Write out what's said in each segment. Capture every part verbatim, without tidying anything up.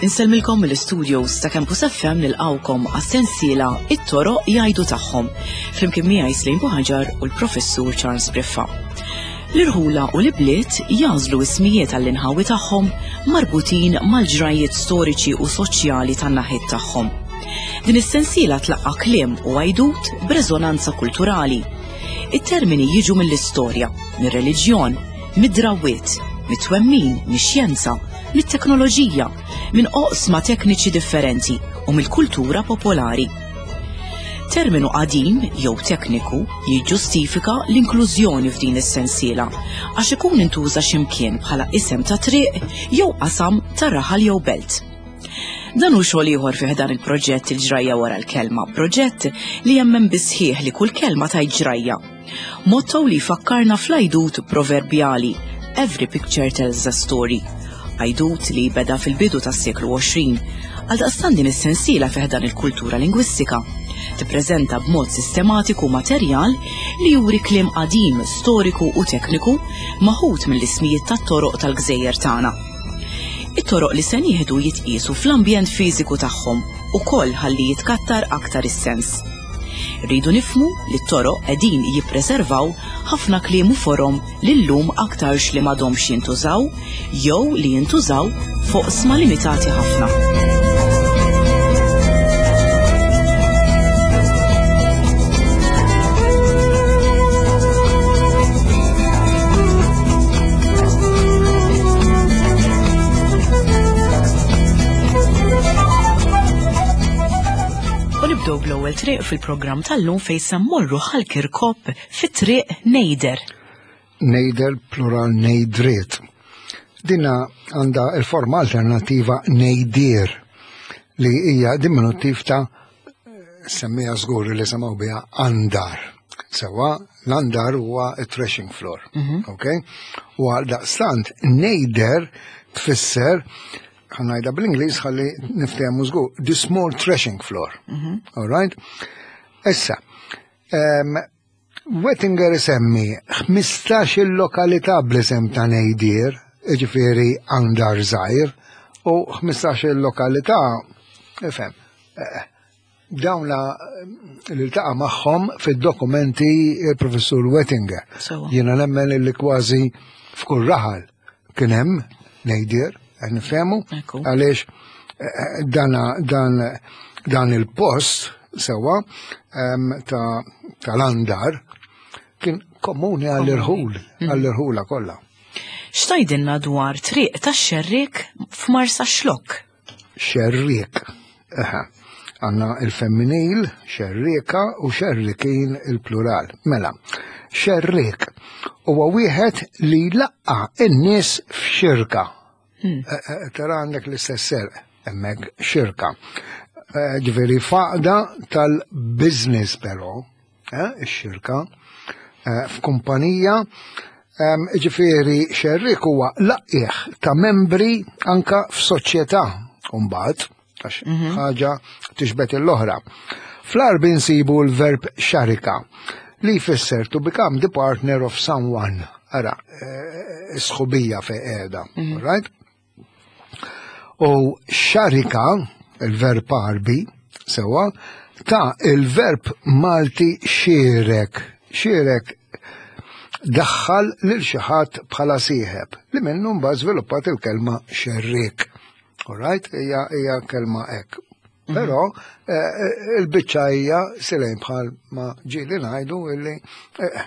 Insellmilkom mill-studios ta' Campus F M nilqawkom għas-sensiela It-Toroq Jgħidu Tagħhom, flimkien miegħi Slim Buħaġar u l-Professur Charles Briffa. L-irħula u l-ibliet jażlu ismijiet għall-inħawi tagħhom marbutin mal-ġrajiet storiċi u soċjali tan-naħiet tagħhom. Din is-sensiela tlaqqa' kliem u għajdut b'reżonanza kulturali. It-termini jiġu mill-istorja, mir-reliġjon, mid-drawwiet, mit-twemmin, mix-xjenza, mit-teknoloġija, minn oqsma tekniċi differenti u mill-kultura popolari. Terminu qadim jew tekniku jiġġustifika l-inklużjoni f'din is-sensiela għax ikun intuża x'imkien bħala isem ta' triq jew qasam ta' raħal jew belt. Dan hu xogħol ieħor fih dan il-proġett Il-Ġrajja Wara l-Kelma, proġett li jemmen bisħieħ li kull kelma tajt ġrajja. Motto li jfakkarna fl-għajdut proverbjali Every picture tells a story. Għajdut li beda fil-bidu tas-seklu għoxrin, għaldaqstant din is-sensiela fih dan il-kultura lingwistika. Tippreżenta b'mod sistematiku materjal li juri kliem qadim, storiku u tekniku maħut mill-ismijiet tat-toroq tal-gżejjer tagħna. It-toroq li se nieħdu jitqiesu fl-ambjent fiżiku tagħhom ukoll ħalli jitkattar aktar is-sens. Rridu nifhmu li t-toroq qegħdin jippreservaw ħafna kliem u forom li llum aktarx li m'għadhomx jintużaw jew li jintużaw fuq sma limitati ħafna. U nibdew bl-ewwel triq fil-programm tal-lum fejn se mmorru Ħal Kirkop fit-triq Nejder. Nejder plural nejdriet. Dina għandha il-forma alternattiva nejdir li hija diminuttiv ta' semmija żgur li semgħu biha andar. Sewa l-andar huwa it-threshing floor. Mhm. Ok? U għal daqstant nejder tfisser, ħanajda bl-Ingliż ħalli niftehmu żgur, the small threshing floor. Mhm. All right? Issa, em, Wettinger isemmi ħmistax il-lokalità bl-isem ta' Nejdir, jiġifieri andar żgħir, u ħmistax il-lokalità, ifhem, eh, dawn la li ltaqa' magħhom fid-dokumenti il-Professur Wettinger. Sewa. Jiena nemmen li kważi f'kull raħal kien hemm Nejdir, qed nifhemu, Ekku. għaliex, eh, eh, dana, dan, dan il-post sewa, em, ta', tal-andar kien komuni għall-irħul, Mhm. għall-irħula kollha. X'tajdilna dwar triq tax-Xerriek f'Marsa Xlokk? Xerriek. Aha. Għanna il-femminil, xerrieka u xerrikin il-plural. Mela, xerriek huwa wieħed li laqqa n-nies f'xirka. Hmm. Eh, eh, tara għandek l-istess serq, hemmhekk xirka. Eh, ġifieri faqda tal-business però, eh, ix-xirka, eh, f'kumpanija, em, ġifieri xerriek huwa laqqiegħ ta' membri anka f'soċjetà mbagħad, għax Mhm. ħaġa tixbet l-oħra. Fl-Għarbi nsibu l-verb xarika li jfisser to become the partner of someone. Ara, eh, sħubija fe qiegħda, Mhm. right? U xarika, il-verb Għarbi, sewa, ta' il-verb Malti xierek. Xierek daħħal lil xi ħadd bħala sieħeb, li minnu mbagħad żviluppat il-kelma xerriek. All right? Hija, hija kelma hekk. Mhm. Però, eh, eh, il-biċċa hija silejn bħal ma ġieli ngħidu illi, eh,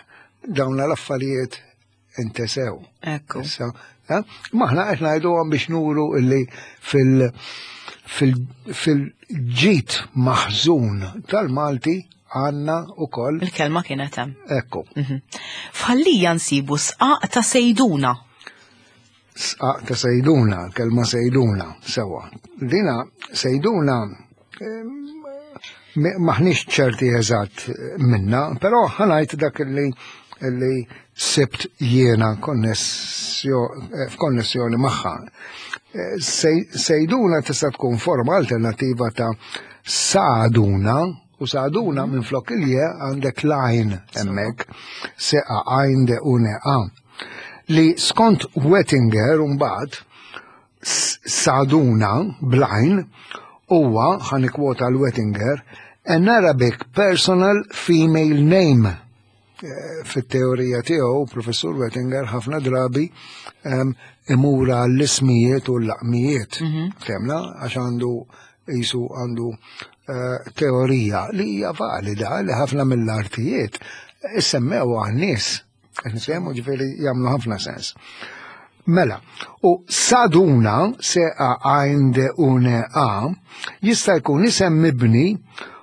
dawn l-affarijiet intesew. Ekku. Issa, eh, maħna qed ngħiduhom biex nuru illi fil-, fil-, fil-ġid maħżun tal-Malti għandna ukoll. Il-kelma kienet hemm. Ekku. Mhm. F'Ħal Lija nsibu sqaq ta' Sejduna. Sqaq ta' Sejduna, kelma Sejduna, sewa. Dina Sejduna, em, maħniex ċerti eżatt minna, però ħanajt dak li, li sibt jiena konnessjo-, f'konnessjoni magħha. Sejduna tista' tkun forma alternattiva ta' Saduna U Saduna minn flok il-je għandek lajn hemmhekk, seqa għajn de une a. Li skont Wettinger mbagħad Saduna blajn huwa, ħa nikkwota l-Wettinger, an Arabic personal female name. Eh, fit-teorija tiegħu, Professur Wettinger ħafna drabi um, imura l-ismijiet u l-laqmijiet. Mm -hmm. Temna, għax għandu jisu għandu uh, teorija li hija valida li ħafna mill-artijiet issemmew għan-nies. Nifhemu, ġifieri jagħmlu ħafna sens. Mela, u Saduna, se a għajn de une a, jista' jkun isem mibni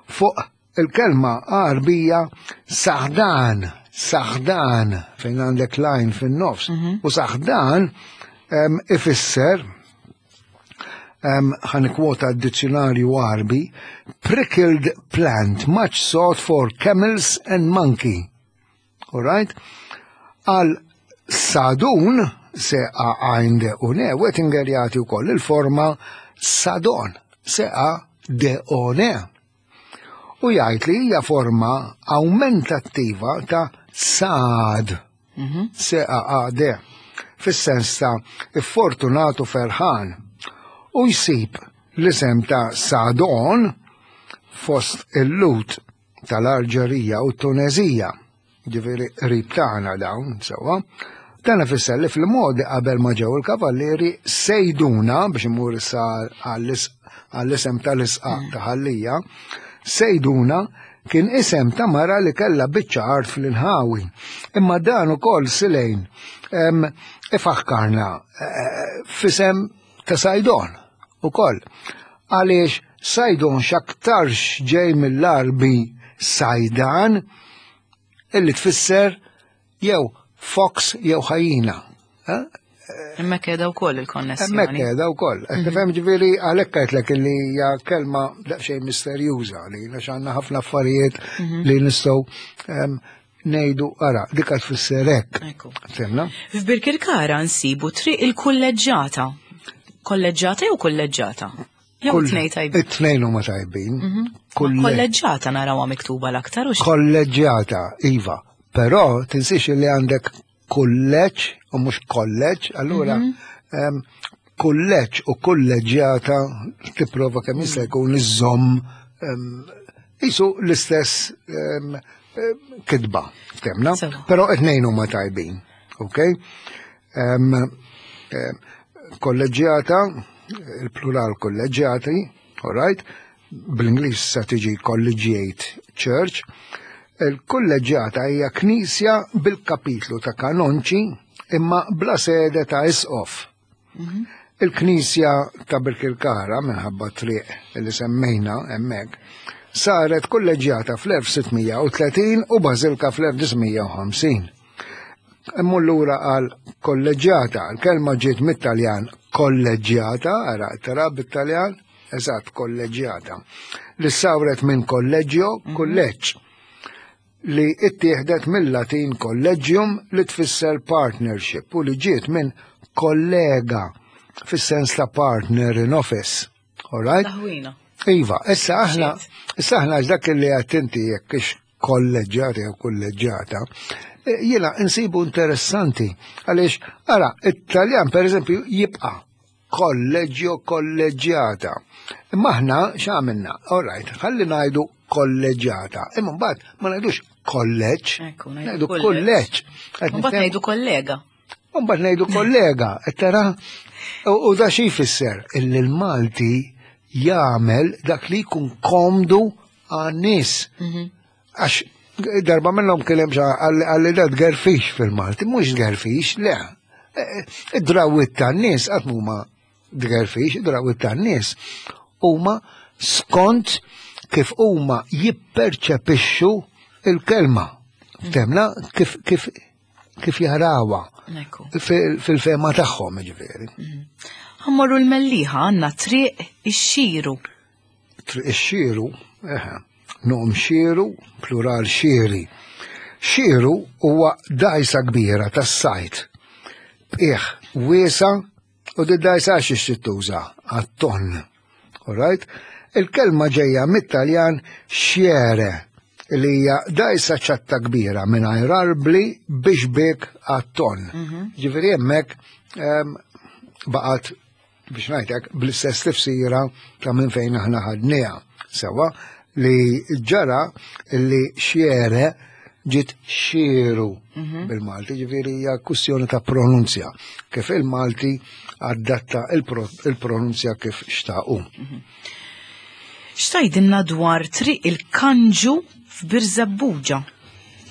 fuq il-kelma Għarbija saħdan, saħdan, fejn għandek lajn fin-nofs. Mm -hmm. U saħdan um, ifisser, um, ħa nikkwota d-dizzjonarju Għarbi, prickled plant much sought for camels and monkey. All right? Għal Sadun, se a għajn de une, Wettinger jagħti wkoll il-forma Sadon, se a de one. U jgħid li hija forma aumentattiva ta' sad, mm -hmm. se a a d, fis-sens ta' iffortunatu, ferħan. U jsib l-isem ta' Sadon fost il-Lhud tal-Alġerija u Tunezija, ġifieri qrib tagħna dawn, sewwa. Dan ifisser li fil-modi qabel ma ġew il-kavallieri, Sejduna, biex imur issa għall-isem tal-isqaq ta' Ħal Lija, Sejduna kien isem ta' mara li kella biċċa art fl-inħawi. Imma dan ukoll silejn ifakkarna eh, f'isem ta' Sajdon ukoll. Għaliex Sajdon x'aktarx ġej mill-Arbi Sajdan, illi tfisser jew fox jew ħajjina. Hemmhekk qiegħda wkoll il-konnessjoni. Hemmhekk qiegħda wkoll. Mhm. Tifhem, ġifieri għalhekk għedtlek illi hija kelma daqsxejn misterjuża li għax għandna ħafna affarijiet mhm. li nistgħu ngħidu, ara, dik tfisser hekk. Fhimna? F'Birkirkara nsibu Triq il-Kulleġġata. Kolleġġata jew kulleġġata? Jew it-tnejn tajbin? It-tnejn huma tajbin. Mhm. Kolleġġata narawha miktuba l-aktar u Kolleġġjata, iva. Però tinsiex li għandek kulleġġ u mhux kolleġġ, allura mhm. kulleġġ u kulleġġjata tipprova kemm jista' jkun iżomm jisu l-istess kitba, fhimna? Però it-tnejn huma tajbin, ok? Kolleġġjata, il-plural kolleġġjati, all right? Bl-Ingliż sa tiġi collegiate church. Il-kolleġġjata hija knisja bil-kapitlu ta' kanonċi imma bla sede ta' isqof. Mhm. Il-knisja ta' Birkirkara, minħabba triq li semmejna hemmhekk, saret kolleġġjata fl-elf sitt mija u tletin u bażilka fl-elf disa' mija u ħamsin. Immur lura għal kolleġġjata, l-kelma ġiet mit-Taljan kolleġġjata, ara tara bit-Taljan, eżatt, kolleġġjata, li sawret minn kolleġġjo, mhm. kulleġġ, li ittieħdet mill-Latin collegium li tfisser partnership u li ġiet minn kollega fis-sens ta' partner in office. All right? Iva, issa aħna, issa aħna dak li għedt inti jekk ix kolleġġjata jew kolleġġjata, e, jiena insibu interessanti għaliex ara, it-Taljan per eżempju jibqa' kolleġġjo, kolleġġjata. Imma aħna x'għamilna? All right, ħalli ngħidu kolleġġjata. Imma mbagħad ma ngħidux kolleġġ, ngħidu kulleġġ. Mbagħad ngħidu kollega. Mbagħad ngħidu kollega, tara, u da xi jfisser? Illi l-Malti jagħmel dak li jkun komdu għan-nies. Mhm. Għax darba minnhom kien hemm għalli da tgerfix fil-Malti, mhux tgerfix, le. Id-drawwiet tan-nies qatt huma tgerfix, id-drawwiet tan-nies huma skont kif huma jipperċepixxu il-kelma. Fhimna, kif kif kif jarawha fil-fehma tagħhom, ġifieri. Mhm. Ħa mmorru l-Mellieħa, għandna Triq ix-Xiru. Triq ix-Xiru, eħe, nom xiru, plural xiri. Xiru huwa dajsa kbira tas-sajt. B'qiegħ wiesa' u di dajsa għax tuża għat-ton. All right? Il-kelma ġejja mit-Taljan xjere, li hija dgħajsa ċatta kbira mingħajr arbli biex bik għat-ton. Ġifieri hemmhekk em, baqgħet biex ngħidlek bl-istess tifsira ta' minn fejn aħna ħadniha. Sewa li ġara li xjere ġiet xieru bil-Malti, ġifieri hija kwistjoni ta' pronunzja. Kif il-Malti adatta il-pro- il-pronunzja kif xtaqu. X'tgħidilna dwar Triq il-Kanġu f'Birżebbuġa?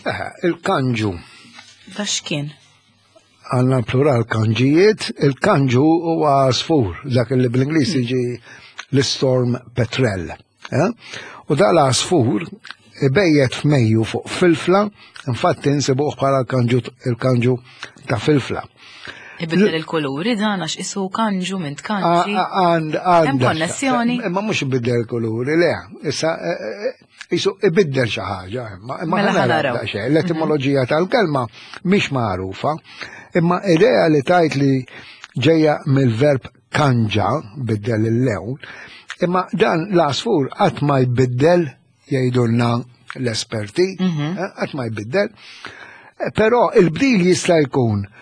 Eħe, il-kanġu. Da x'kien? Għandna plural kanġijiet, il-kanġu huwa għasfur, dak li bl-Ingliż jiġi l-storm petrel. Eh? U da l-għasfur ibejjet f'Mejju fuq filfla, infatti nsibuh bħala l-kanġu il-kanġu ta' filfla. Ibiddel il-kuluri dan għax isu kanġu minn tkanġi. Għand Hemm konnessjoni? Imma mhux ibiddel il-kuluri, le. Issa eh, eh, isu ibiddel xi ħaġa, imma imma Mela ħa naraw ħa naraw. daqsxejn. L-etimoloġija tal-kelma mhix magħrufa, imma idea li tajt li ġejja mill-verb kanġa, biddel il-lewn, imma dan l-għasfur qatt ma jbiddel, jgħidulna l-esperti, eh, qatt ma jbiddel. Eh, Però il-bdil jista' jkun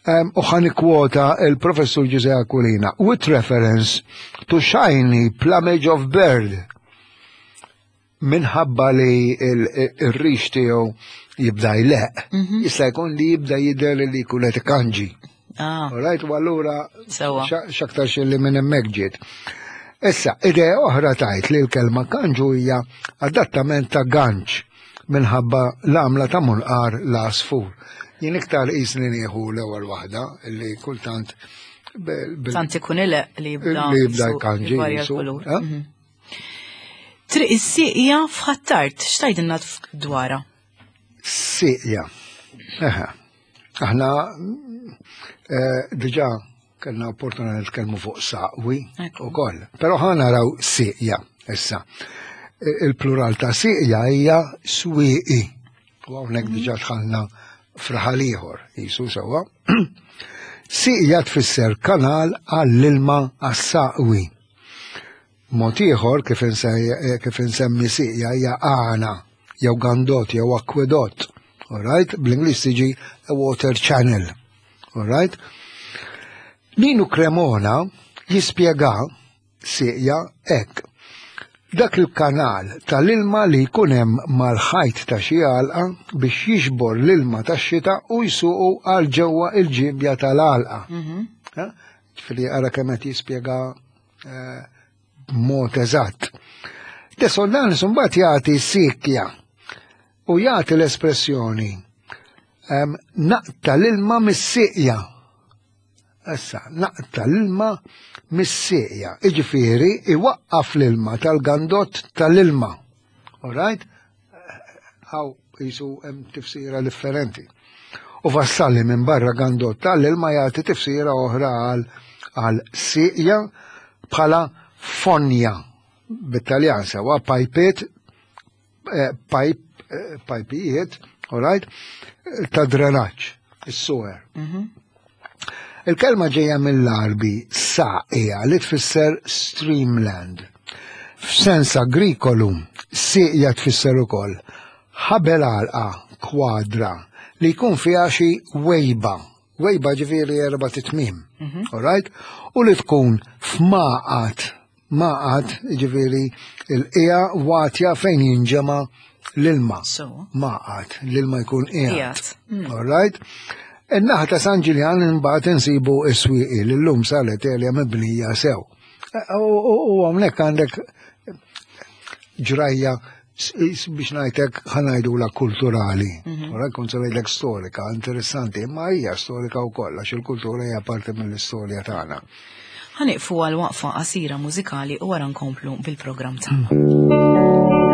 Um, u ħa nikkwota il-professur Giuseppe Aquilina, with reference to shiny plumage of bird. Minħabba li il-rix tiegħu jibda jleq, jista' jkun li jibda jidher li jkun qed ikanġi. Ah, Alright, u allura Sewa. x'aktar li minn hemmhekk ġiet. Issa, idea oħra tajt li l-kelma kanġu hija adattament ta' ganċ minħabba l-għamla ta' munqar l-għasfur. Jien iktar qisni nieħu l-ewwel waħda li kultant bil- bil- tant ikun ileq li jibda li jibda jisu jkanġi jvarja jisu, l-kulur. eh? Mhm. Triq is-Sieqja f'Ħ'Attard, x'tgħidilna dwarha? Sieqja. Eħe. Aħna eh, diġà kellna opportunità nitkellmu fuq saqwi Ekku. ukoll. Però ħa naraw sieqja issa. Il-plural ta' sieqja hija swieqi. U hawnhekk diġà dħalna f'raħal ieħor, jisu sewwa. Sieqja tfisser kanal għall-ilma għas-saqwi. Mod ieħor kif inse- kif insemmi sieqja hija għana jew gandot jew akwedott. Alright? Bl-Ingliż tiġi a water channel. Alright? Ninu Cremona jispjega sieqja hekk. Dak il-kanal tal-ilma li jkun hemm mal-ħajt ta' xi għalqa biex jiġbor l-ilma tax-xita u jsuqu għal ġewwa il-ġibja tal-għalqa. Eh? Ġifieri ara kemm qed jispjega eh, b'mod eżatt. De Soldanis mbagħad jagħti sikja u jagħti l-espressjoni em, naqta l-ilma mis-sieqja. Issa, naqta l-ilma mis-sieqja. Iġifieri iwaqqaf l-ilma tal-gandott tal-ilma. All right? Hawn jisu hemm tifsira differenti. U Vassalli minn barra gandott tal-ilma jagħti tifsira oħra għal għal sieqja bħala fonja bit-Taljan sewa pajpiet eh, pajp eh, pajpijiet, all right, ta' drenaġġ, is-sewer. Il-kelma ġejja mill-Arbi saqija li tfisser streamland. F'sens agrikolu, sieqja tfisser ukoll ħabel għalqa kwadra li jkun fiha xi wejba. Wejba ġifieri erba' titmim. All right? U li tkun f'maqat, maqat ġifieri il-qija watja fejn jinġema l-ilma. So. Maqat, l-ilma jkun qiegħed. Qiegħed. Mm. All right? In-naħa ta' San Ġiljan imbagħad insibu s-swieqi li llum saret erja mibnija sew. U u hawnhekk għandek ġrajja s- s- biex ngħidlek ħa ngħidula kulturali. Ora kont se ngħidlek storika, interessanti, imma hija storika wkoll għax il-kultura hija parti mill-istorja tagħna. Ħa nieqfu għal waqfa qasira mużikali u wara nkomplu bil-programm tagħna.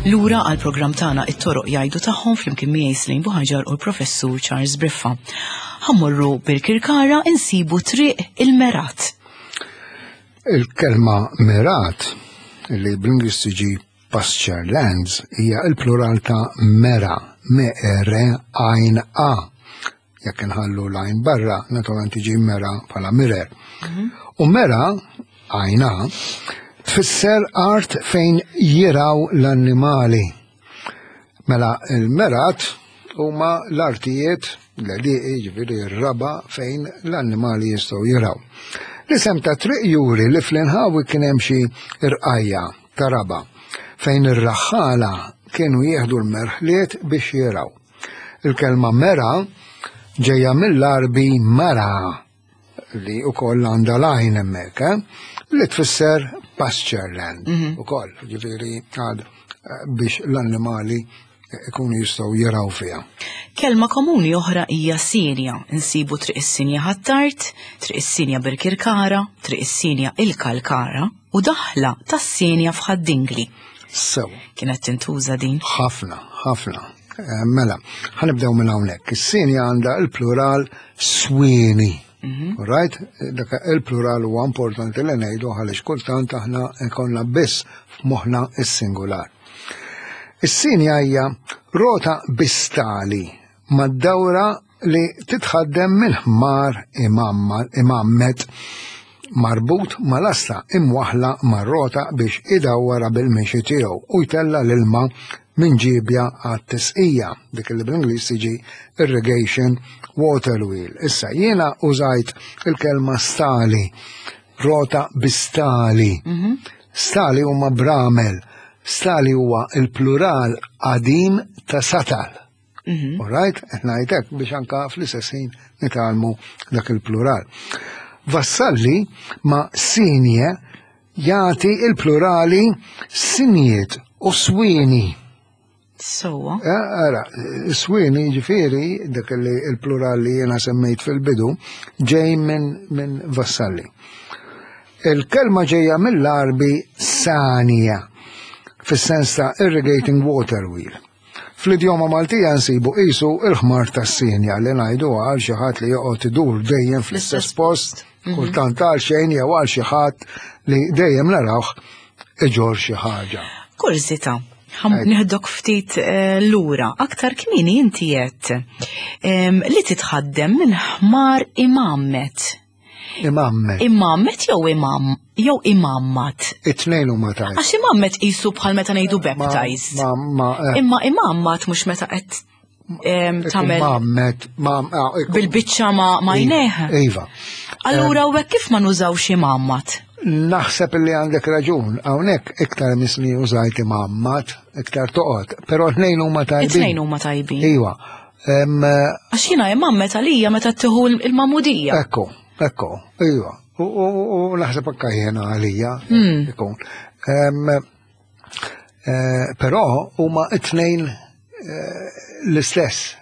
Lura għal programm tagħna It-Toroq Jgħidu Tagħhom flimkien miegħi Slane Buhaġar u l-Professur Charles Briffa. Ħa mmorru Birkirkara, insibu Triq il-Merat. Il-kelma merat, li bl-Ingliż tiġi pasture lands, hija il-plural ta' mera, me-r għajn a. Jekk nħallu l-għajn barra, naturalment tiġi mera bħala mirror. U mera, għajn a, tfisser art fejn jirgħu l-annimali. Mela il-merat huma l-artijiet, l-għelieqi, ġifieri r-raba fejn l-annimali jistgħu jirgħu. L-isem ta' triq juri li fl-inħawi kien hemm xi irqajja ta' raba fejn ir-raħħala kienu jieħdu l-merħliet biex jirgħu. Il-kelma mera ġejja mill-Arbi mara, li ukoll għandha l-għajn hemmhekk, eh? Li tfisser pasture land ukoll, ġifieri għad eh, biex l-annimali ikunu jistgħu jirgħu fiha. Kelma komuni oħra hija Sinja. Insibu Triq is-Sinja Ħ'Attard, Triq is-Sinja Birkirkara, Triq is-Sinja il-Kalkara u daħla tas-Sinja f'Ħad-Dingli. Sew. Kienet tintuża din? Ħafna, ħafna. Eh, Mela, ħa nibdew minn hawnhekk. Is-sinja għandha il-plural swieni. Right? Dak il-plural huwa importanti li ngħidu għaliex kultant aħna ikollna biss f'moħħna is-singular. Is-sinja hija rota bi stali mad-dawra li titħaddem minn ħmar imgħammed marbut mal-asta imwaħla mar-rota biex idawwara bil-mixi tiegħu u jtella l-ilma minn ġibja għat-tisqija, dik li bl-Ingliż tiġi irrigation water wheel. Issa jiena użajt il-kelma stali, rota bi stali. Stali huma bramel, stali huwa il-plural qadim ta' satal. All right? Ngħidlek biex anka fl-istess ħin nitgħallmu dak il-plural. Vassalli ma' sinje jagħti il-plurali sinjiet u swieni. Sowa. Eh, Ara, swieni ġifieri, dak li il-plural li jena semmejt fil-bidu, ġej minn min Vassalli. Il-kelma ġejja mill-Arbi sanja, fis-sens ta' irrigating water wheel. Fl-idjoma Maltija nsibu qisu il-ħmar tas-sinja li ngħidu għal xi ħadd li joqgħod idur dejjem fl-istess post, kultant għal xejn jew għal xi ħadd li dejjem narawh iġor xi ħaġa. Kurżità, ħa neħdok ftit eh, lura, aktar kmieni inti għedt em, li titħaddem minn ħmar imgħammed. Imgħammed. Imgħammed jew imam jew imammat? It-tnejn huma tajb. Għax imgħammed qisu bħal meta ngħidu baptized. Ma, ma, eh, Imma imammat mhux meta qed em, tagħmel Imgħammed, ma, ah, ikun- bil-biċċa ma ma jneħ. Iva. Allura u hekk kif ma nużawx imammat? Naħseb li għandek raġun, hawnhekk iktar misni użajt imammat, iktar toqgħod, però t-tnejn huma tajbin. It-tnejn huma tajbin. Iva. Em, Għax jiena imgħammed għalija meta tieħu il-magħmudija. Ekku, ekku, iva. U, u, u naħseb anka jiena għalija ikun. Em, eh, Però huma it-tnejn eh, l-istess.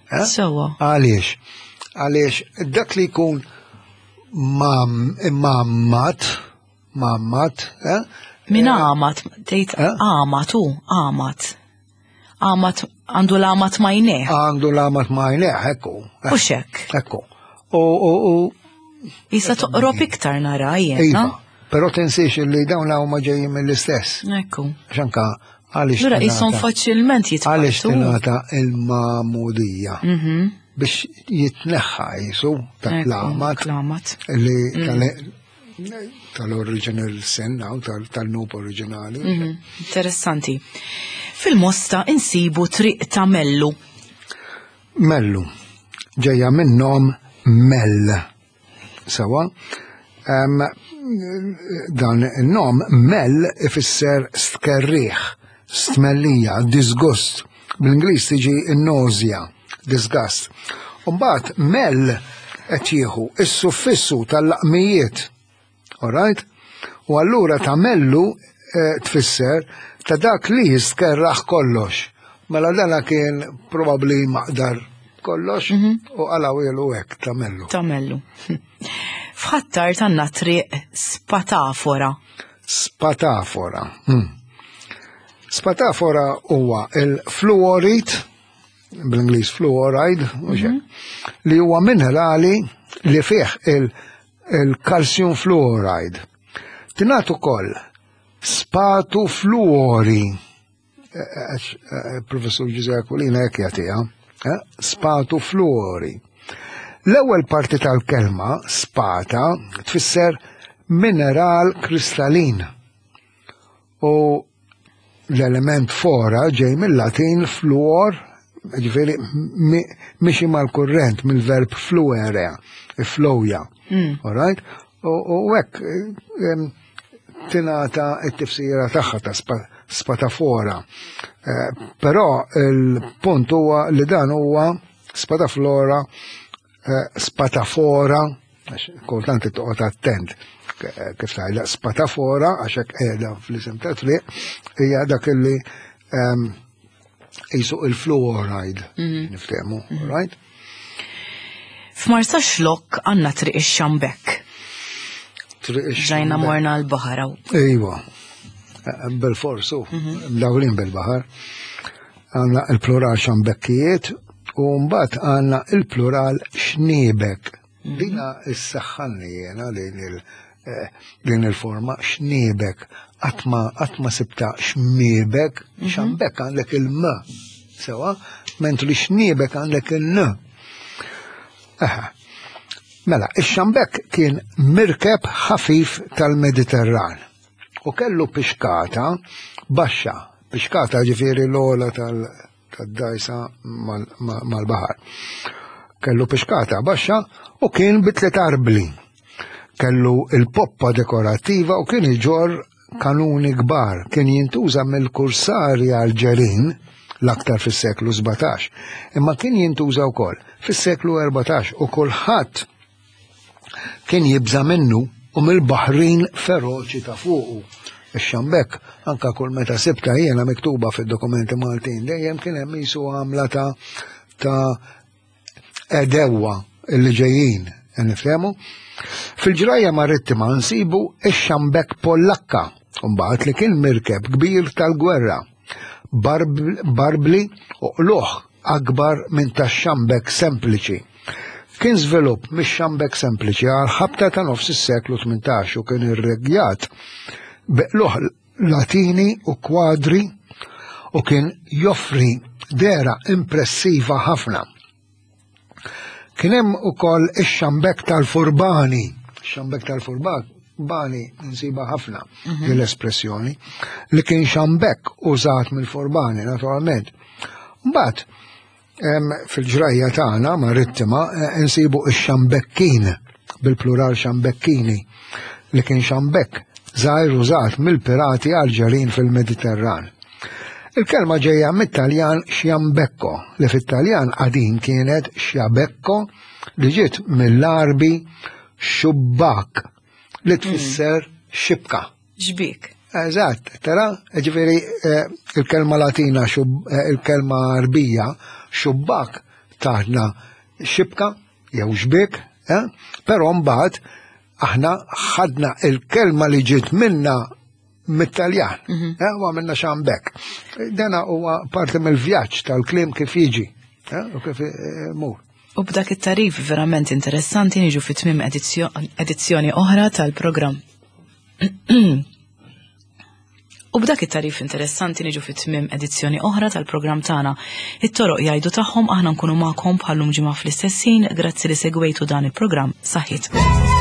Eh? Sewa. Għaliex? Għaliex dak li jkun mam, imammat, mammat, eh? Min għamat, tgħid Eh? għamat u għamat. Għamat għandu l-għamat ma jneħ. Għandu l-għamat ma jneħ, ekku. U xek. Ekku. U, u, u, Jisa toqrob iktar nara iva, jiena. però tinsiex li dawn huma ġejjin mill-istess. Ekku. Xanka, għaliex Lura qishom tingħata- faċilment għaliex jitqattu. tingħata il-magħmudija Mhm. biex jitneħħa jisu ta' Ekku, l-għamat L-għamat. li tal- tal-original sin, aw tal- tal-dnub oriġinali. Mhm. Interessanti. Fil-Mosta insibu Triq ta' Mellu. Mellu, ġejja minn nom Mell. Sewa, Em, dan il-nom Mell ifisser stkerriħ, stmellija, disgust. Bl-Ingliż tiġi nausea, disgust. Umbagħad Mell qed jieħu is-suffissu tal-laqmijiet. Alright? U allura ta' Mellu eh, tfisser ta' dak li jistkerraħ kollox. Mela dana kien probabli maqdar kollox u għalawielu hekk ta' Mellu. Ta' Mellu. F'Ħ'Attard għandna Triq Spatafora. Spatafora. Hmm. Spatafora huwa il-fluorit, bl-Ingliż fluoride, mhux hekk, li huwa minerali li fih il-calcium fluoride. Tingħad ukoll spatu fluori, professur Ġużè Aquilina hekk jagħtiha, eh, spatu fluori. L-ewwel parti tal-kelma spata tfisser mineral kristallin. U l-element fora ġej mill-Latin fluor, ġifieri mixi mal-kurrent mill-verb fluere, flowja. All right? U hekk tingħata t-tifsira tagħha ta' spatafora. Eh, però il-punt huwa li dan huwa spataflora, eh, spatafora, kultant toqgħod attent kif tgħidha spatafora għax hekk qiegħda fl-isem ta' triq hija dak illi jisu il-fluoride mhm. niftehmu, mhm. right? F'Marsaxlokk għandna Triq ix-Xambek. Ġajna morna l-baħar. Iva, bil-forsu, mhm. mdawrin bil-baħar. Għandna il-plural xambekkijiet u mbagħad għandna il-plural xniebek. Mhm. Dina issaħħanni jena din il- eh, din il-forma xniebek. Għadma għadma sibta xmiebek, mhm. xambek għandek il-m, sewa, mentri xniebek għandek il-n. Aha. Mela, ix-xambek kien mirkeb ħafif tal-Mediterran u kellu pixkata baxxa, pixkata ġifieri l-ola tal-dajsa mal-baħar. Kellu pixkata baxxa u kien bi tliet arbli. Kellu il-poppa dekorattiva u kien iġorr kanuni kbar. Kien jintuża mill-kursari Alġerin l-aktar fis-seklu sbatax, imma kien jintuża wkoll fis-seklu erbatax u kulħadd kien jibża minnu u mill-baħrin feroċi ta' fuqu. Ix-xambek, anka kull meta sibta jiena miktuba fid-dokumenti Maltin, dejjem kien hemm jisu għamla ta' ta' edewa li ġejjin, nifhemu. Fil-ġrajja marittima nsibu ix-xambek Pollakka, mbagħad li kien mirkeb kbir tal-gwerra, barbli u qluħ akbar minn tax-xambek sempliċi. Kien żvilupp mix-xambek sempliċi għal ħabta ta' nofs is-seklu tmintax u kien irregjat beqluħ latini u kwadri u kien joffri dera impressiva ħafna. Kien hemm ukoll ix-xambek tal-furbani. Xambek tal-furbani nsiba ħafna mhm. l-espressjoni li kien xambek użat mill-furbani naturalment. Mbagħad fil-ġrajja tagħna marittima eh, nsibu ix-xambekkin bil-plural xambekkini li kien xambek żgħir użat mill-pirati Alġerin fil-Mediterran. Il-kelma ġejja mit-Taljan xjambekko, li fit-Taljan qadim kienet xjabekko li ġiet mill-Arbi xubbak li tfisser xibka. Xbik. Eżatt, tara, ġifieri eh, il-kelma Latina, eh, il-kelma Arbija, xubbak taħna xibka jew xbik, eh, però mbagħad aħna ħadna il-kelma li ġiet minna mit-Taljan, mhm. eh, u għamilna xambek. Dana huwa parti mill-vjaġġ tal-kliem kif jiġi u kif mur. U b'dak it-tarif verament interessanti niġu fi tmiem edizzjoni oħra tal-programm. U b'dak it-tarif interessanti niġu fi tmiem edizzjoni oħra tal-programm tagħna. It-toroq jgħidu tagħhom, aħna nkunu magħkom bħallum ġimgħa fl-istess ħin. Grazzi li segwejtu dan il-programm. Saħħit.